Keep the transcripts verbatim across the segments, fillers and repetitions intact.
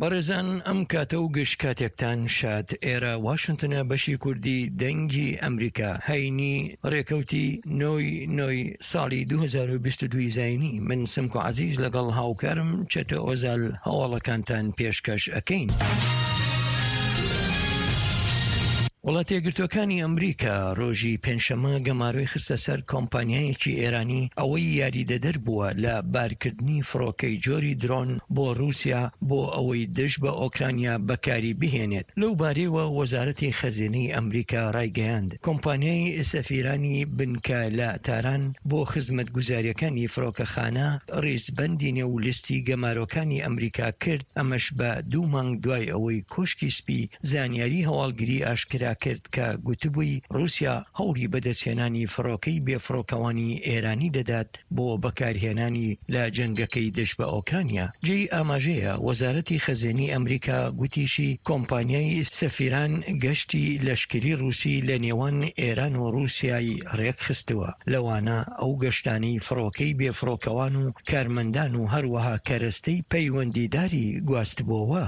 بەڕێزان ئەم کاتە و گشت کاتێکتان شاد. ئێرە واشنتنە، بەشی کوردی دەنگی ئەمریکا، هەینی ڕێکەوتی نۆی نۆی ساڵی دوو هەزار و بیست و دوو زایینی. من سمکۆ عەزیز لەگەڵ هاوکارم چەتۆ ئۆزال هەواڵەکانتان پێشکەش ئەکەین. وڵاتە یەکگرتووەکانی ئەمریکا ڕۆژی پێنجشەممە گەمارۆی خستە سەر کۆمپانیایەکی ئێرانی ئەوەی یاریدەدەر بووە لە بارکردنی فڕۆکەی جۆری درۆن بۆ رووسیا بۆ ئەوەی دژ بە ئۆکرانیا بەکاری بهێنێت. لەو بارەیەوە وەزارەتی خەزێنەی ئەمریکا ڕایگەیاند، کۆمپانیای سەفیرانی بنکە لە تاران بۆ خزمەتگوزارییەکانی فڕۆکەخانە ڕیزبەندی نێو لیستی گەمارۆکانی ئەمریکا کرد، ئەمەش بە دوو مانگ دوای ئەوەی کۆشکی سپی زانیاری هەواڵگری ئاشکرا کرد کە گوتبووی رووسیا هەوڵی بەدەستهێنانی فڕۆکەی بێفڕۆکەوانی ئێرانی دەدات بۆ بەکارهێنانی لە جەنگەکەی دژ بە ئۆکرانیا. جێی ئاماژەیە وەزارەتی خەزێنەی ئەمریکا گوتیشی کۆمپانیای سەفیران گەشتی لەشکری رووسی لە نێوان ئێران و رووسیای رێکخستووە، لەوانە ئەو گەشتانەی فڕۆکەی بێفڕۆکەوان و کارمەندان و هەروەها کەرەستەی پەیوەندیداری گواستبۆوە.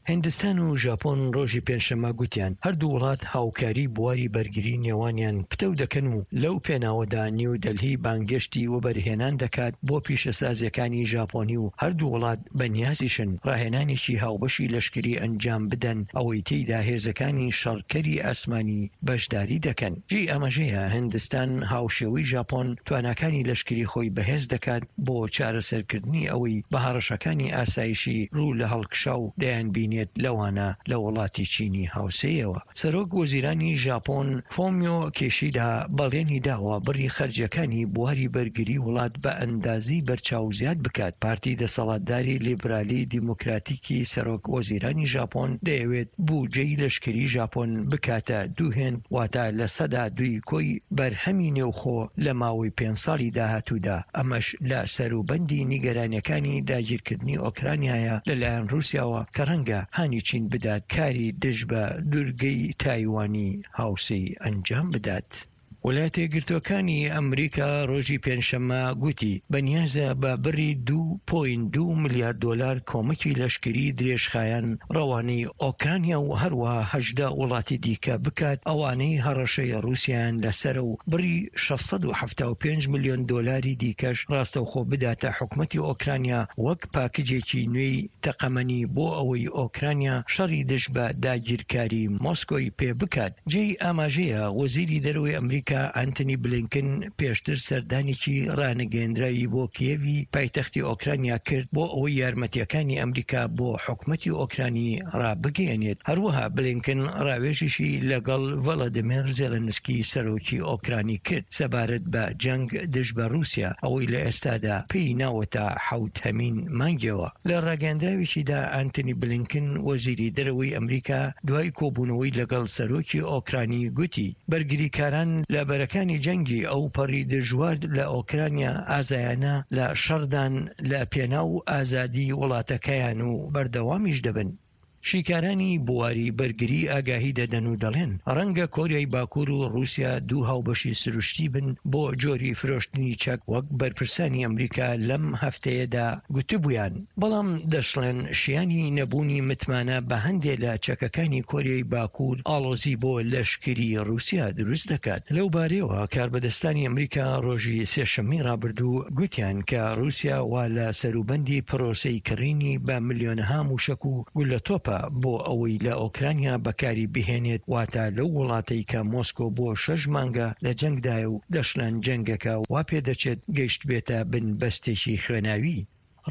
هیندستان و ژاپۆن ڕۆژی پێنجشەممە گوتیان هەردوو وڵات هاوکاری بواری بەرگری نێوانیان پتەو دەکەن و لەو پێناوەدا نیو دەلهی بانگێشتی وەبەرهێنان دەکات بۆ پیشەسازیەکانی ژاپۆنی و هەردوو وڵات بەنیازیشن ڕاهێنانێکی هاوبەشی لەشکری ئەنجام بدەن ئەوەی تێیدا هێزەکانی شەڕکەری ئاسمانی بەشداری دەکەن. جێی ئاماژەیە هیندستان هاوشێوەی ژاپۆن تواناکانی لەشکری خۆی بەهێز دەکات بۆ چارەسەرکردنی ئەوەی بە هەڕەشەکانی ئاسایشی ڕوو لە هەڵکشاو دەیانبینێت لەوانە لە وڵاتی چینی هاوسێیەوە. سەرۆک وەزیرانی ژاپۆن فۆمیۆ کیشیدا بەڵێنی داوە بڕی خەرجیەکانی بواری بەرگری وڵات بە ئەندازەی بەرچاو زیاد بکات. پارتی دەسەڵاتداری لیبرالی دیموکراتیکی سەرۆک وەزیرانی ژاپۆن دەیەوێت بودجەی لەشکری ژاپۆن بکاتە دوو هێند، واتە لە سەدا دووی کۆی بەرهەمی نێوخۆ لە ماوەی پێنج ساڵی داهاتوودا، ئەمەش لە سەروبەندی نیگەرانیەکانی داگیرکردنی ئۆکرانیایە لەلایەن رووسیاوە کە ڕەنگە هانی چین بدات کاری دژ بە دوورگەی تایوانی هاوسێی ئەنجام بدات. وڵاتە یەکگرتووەکانی ئەمریکا ڕۆژی پێنجشەممە گوتی بەنیازە بە بڕی دوو پۆینت دوو ملیار دۆلار کۆمەکی لەشکری درێژخایەن ڕەوانەی ئۆکرانیا و هەروەها هەژدە وڵاتی دیکە بکات ئەوانەی هەڕەشەی ڕووسیایان لەسەرە و بڕی شەش سەد و حەفتا و پێنج ملیۆن دۆلاری دیکەش ڕاستەوخۆ بداتە حکومەتی ئۆکرانیا وەک پاکجێکی نوێی تەقەمەنی بۆ ئەوەی ئۆکرانیا شەڕی دژ بە داگیرکاری مۆسکۆی پێ بکات. جێی ئاماژەیە وەزیری دەرەوەی ئەمریکا ئەنتۆنی بلینکن پێشتر سەردانێکی ڕانەگەیەندراوی بۆ کیێڤی پایتەختی ئۆکرانیا کرد بۆ ئەوەی یارمەتیەکانی ئەمریکا بۆ حکومەتی ئۆکرانی ڕابگەیەنێت. هەروەها بلینکن ڕاوێژیشی لەگەڵ ڤلادیمێر زێلێنسکی سەرۆکی ئۆکرانی کرد سەبارەت بە جەنگ دژ بە ڕووسیا ئەوەی لە ئێستادا پێی ناوەتە حەوتهەمین مانگیەوە. لە ڕاگەیەندراوێکیدا ئەنتۆنی بلینکن وەزیری دەرەوەی ئەمریکا دوای کۆبوونەوەی لەگەڵ سەرۆکی ئۆکرانی گوتی بەرگریکاران لە بەرەکانی جەنگی ئەو پەڕی دژوار لە ئۆکرانیا ئازایانە لە شەڕدان لە پێناو ئازادی وڵاتەکەیان و بەردەوامیش دەبن. شیکارانی بواری بەرگری ئاگاهی دەدەن و دەڵێن ڕەنگە کۆریای باکوور و ڕووسیا دوو هاوبەشی سروشتی بن بۆ جۆری فرۆشتنی چەک وەک بەرپرسانی ئەمریکا لەم هەفتەیەدا گوتبوویان، بەڵام دەشڵێن شیانی نەبوونی متمانە بە هەندێ لە چەکەکانی کۆریای باکوور ئاڵۆزی بۆ لەشکری ڕووسیا دروست دەکات. لەو بارەیەوە کاربەدەستانی ئەمریکا ڕۆژی سێشەممەی ڕابردوو گوتیان کە ڕووسیا وا لە سەروبەندی پرۆسەی کڕینی بە ملیۆنەها موشەک و گولەتۆپە بۆ ئەوەی لە ئۆکرانیا بەکاری بهێنێت، واتە لەو وڵاتەی کە مۆسکۆ بۆ شەش مانگە لە جەنگدایە و دەشڵێن جەنگەکە وا پێدەچێت گەیشت بێتە بن بەستێکی خوێناوی.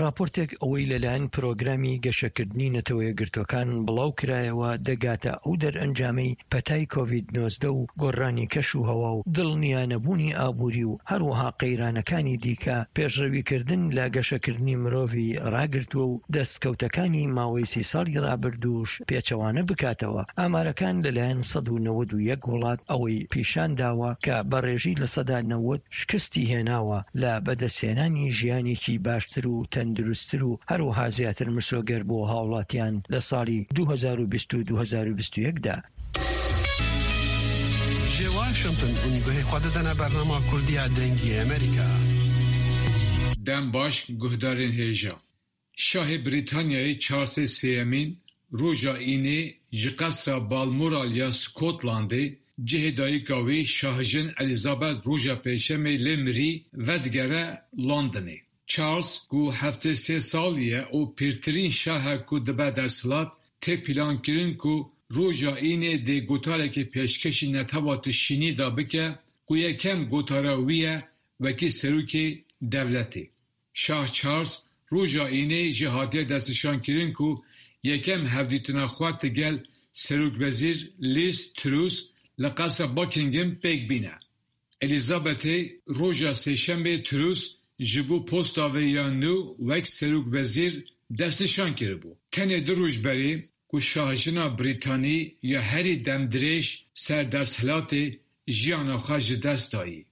راپۆرتێک ئەوەی لەلایەن پرۆگرامی گەشەکردنی نەتەوە یەکگرتووەکان بڵاو کرایەوە دەگاتە ئەو دەرئەنجامەی پەتای کۆڤید نۆزدە و گۆڕانی کەش و هەوا و دڵنیانەبوونی ئابووری و هەروەها قەیرانەکانی دیکە پێشڕەویکردن لە گەشەکردنی مرۆڤی ڕاگرتووە و دەستکەوتەکانی ماوەی سی ساڵی ڕابردووش پێچەوانە بکاتەوە. ئامارەکان لەلایەن سەد و نەوەد و یەک وڵات ئەوەی پیشان داوە کە بە ڕێژەی لە سەدا نەوەد شکستی هێناوە لە بەدەستهێنانی ژیانێکی باشتر و تەندروستتر و هەروەها زیاتر مسۆگەر بۆ هاوڵاتیان لە ساڵی دوو هەزار و بیست و دوو هەزار و بیست و یەک دا. Ji Washington hûn guhê xwe didine bernama Kurdî ya Dengê Amerîka. Dem baş guhdarên hêja. Şahê Brîtanyayê Charlesê Sêyemîn roja Înê ji qesra Balmoral ya Skotlandê cihê dayika wî Şahjin Elizabeth roja Pêncşemê lê mirî vedigere Londonê. Charles ku heftê sê salî ye û pirtirîn şah e ku dibe desthilat, tê plankirin ku roja Înê dê gotarekê pêşkêşî netewa tişînî de bike ku yekem gotara wî ye wekî serokê dewletê. Şah Charles roja Înê jî hatiye destnîşankirin ku yekem hevdîtina xwe digel Serokwezîr Liz Truss li qesra Buckingham pêk bîne. Elizabethê roja Sêşembê Truss ji bo posta wê ya nû wek serokwezîr destnîşan kiribû. Tenê du roj berê ku şahjina Brîtanî ya herî demdirêj ser desthilatê jiyana xwe ji dest dayî.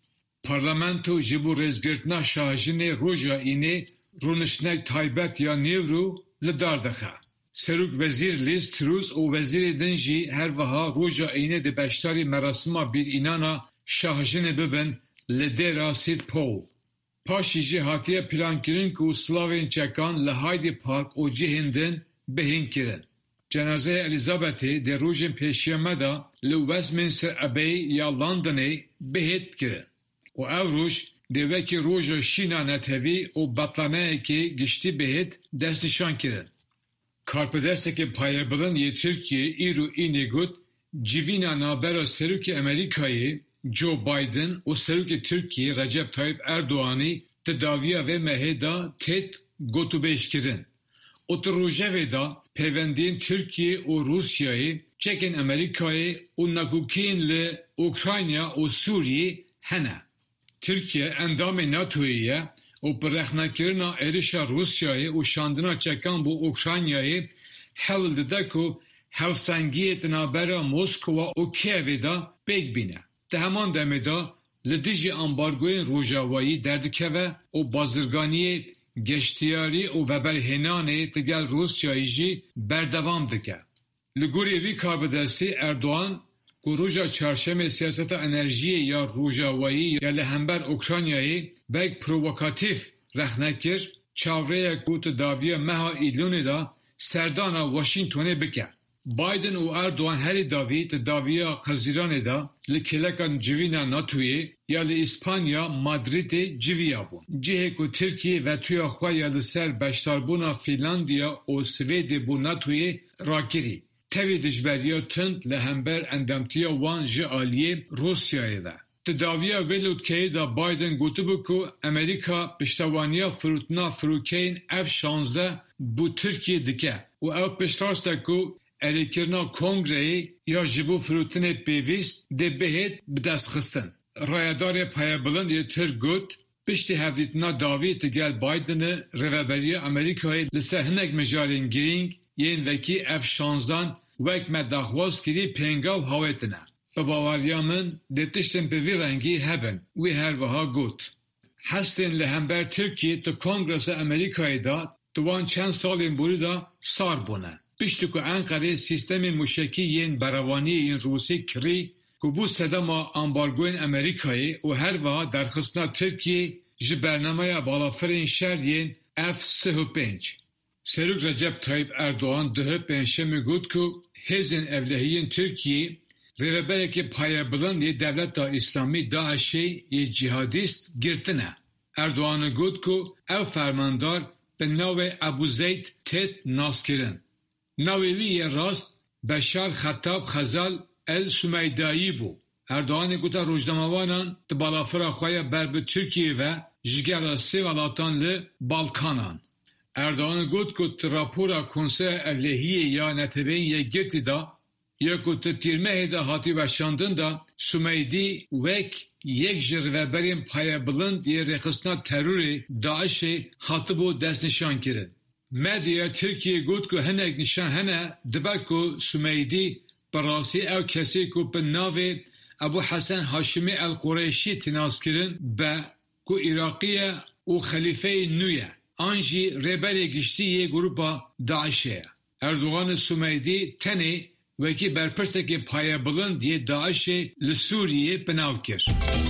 Parlamento ji bo rêzgirtina şahjinê roja Înê rûniştinek taybet ya nîvro li dar dixe. Serokwezîr Liz Truss û wezîrê din jî her wiha roja Înê dê beşdarî merasima bîranîna şahjinê bibin li Dêra St Paul. Paşê jî hatiye plankirin ku silavên çekan li Hyde Park û cihên din bihên kirin. Cenazeya Elizabethê dê rojên pêşiya me de li Westminster Abbey ya Londonê bihêt kirin û ew roj dê wekî roja şîna netewî û betlaneyeke giştî bihêt destnîşankirin. Karbidestekê payebilind yê Tirkiyeyê îro Înê got, civîna navbera Serokê Amerîkayê Joe Biden û Serokê Tirkiyeyê Recep Tayyip Erdoganî di dawiya vê mehê de tê gotûbêjkirin û di rojevê de peywendiyên Tirkiye û Rûsyayê, çekên Amerîkayê û nakokiyên li Ukrayna û Sûriyê hene. Tirkiye endamê NATOyê ye û bi rexnekirina êrişa Rûsyayê û şandina çekan bo Ukraynayê hewl dide ku hevsengiyê di navbera Moskova û Kievê de pêk bîne. Di heman demê de li dijî ambargoyên rojavayî derdikeve û bazirganiyê geştyarî û veberhênanê digel Rûsyayê jî berdewam dike. Li gorî vî karbidestî Erdogan ku roja Çarşemê siyaseta enerjiyê ya rojavayî ya li hember Ukraynayê wek provokatîf rexne kir, çavrê ye ku di dawiya meha Îlonê de serdana Washingtonê bike. Biden û Erdogan herî dawî di dawiya Hezîranê de li kêleka civîna NATOyê ya li Îspanya Madridê civiyabûn. Cihê ku Tirkiye vetoya xwe ya li ser beşdarbûna Fînlandiya û Swêdê bo NATOyê rakirî. Tevî dijberiya tund li hember endamtiya wan ji aliyê Rûsyayê ve. Di dawiya vê lûtkeyê de Biden gotibû ku Amerîka piştevaniya firotina firokeyên F şanzdeh bo Tirkiyeyê dike û ew piştrast e ku erêkirina kongreyê ya ji bo firotinê pêwîst dê bihêt bidestxistin. Rayedarê payebilind yê Tirk got, piştî hevdîtina dawî digel Bidenê rêveberiya Amerîkayê li ser hinek mijarên girîng yên wekî F şanzdan wek me daxwaz kirî pêngav hawêtine. Bi baweriya min dê tiştên bi vî rengî hebin, wî her wiha got. Hestên li hember Tirkiyeyê di Kongresa Amerîkayê de di wan çend salên borî de sar bûne. Piştî ku Enqerê sîstemên mûşekî yên berevaniyê yên Rûsî kirî ku bû sedema ambargoyên Amerîkayê û her wiha derxistina Tirkiyeyê ji bernameya balafirên şer yên F sih û pênc. Serok Recep Tayyip Erdogan duh Pêncşemê got ku hêzên ewlehiyên Tirkiyeyê rêveberekî payebilind yê Dewleta Îslamî DAIŞê yê cîhadîst girtine. Erdogan got ku ew fermandar bi navê Ebû Zeyd tê naskirin. Navê wî yê rast Beşar Xetab Xezal El Sumeydayî bû. Erdoganê gote rojnamevanan di balafira xwe ya ber bi Tirkiyeyê ve ji gera sê welatan li Balkanan. Erdogan got ku di rapora Konseya Ewlehiyê ya Neteweyên Yekgirtî de ya ku di tîrmehê de hatî weşandin de Sumeydî wek yek ji rêveberên payebilind yê rêxistina terorê DAIŞê hatibû destnîşankirin. Medyaya Tirkiyeyê got ku hinek nîşan hene dibe ku Sumeydî bi rastî ew kesê ku bi navê Ebû Hesen Haşimî El Qureşî tê naskirin be ku Iraqî ye û xelîfeyê nû ye an jî rêberê giştî yê grûpa DAIŞê ye. Erdogan Sumeydî tenê wekî berpirsekê payebilind yê DAIŞê li Sûriyeyê bi nav kir.